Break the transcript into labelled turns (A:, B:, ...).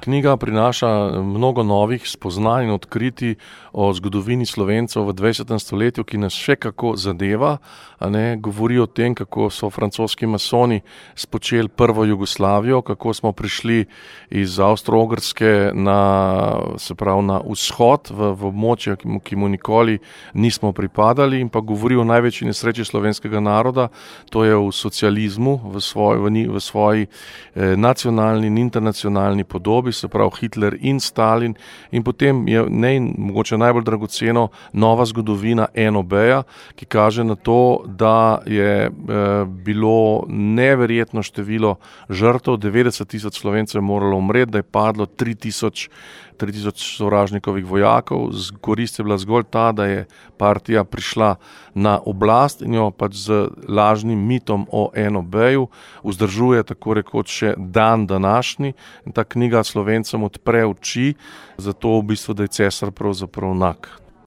A: knjiga prinaša mnogo novih spoznanj in odkritij o zgodovini Slovencev v 20. stoletju, ki nas še kako zadeva. Govori o tem, kako so francoski masoni spočeli prvo Jugoslavijo, kako smo prišli iz Avstro-Ogrske na vzhod, v območje, ki mu nikoli nismo pripadali, in pa govori o največji nesreči slovenskega naroda, to je v socializmu, v svoji nacionalni in internacionalni podobi, se pravi Hitler in Stalin, in potem je mogoče najbolj dragoceno nova zgodovina NOB-ja, ki kaže na to, da je bilo neverjetno število žrtev, 90,000 Slovencev je moralo umreti, da je padlo 3,000 sovražnikovih vojakov. Korist je bila zgolj ta, da je partija prišla na oblast in jo pač z lažnim mitom o NOB-ju vzdržuje tako rekoč še dan današnji. In ta knjiga Slovencem odpre oči za to, v bistvu, da je cesar pravzaprav nag.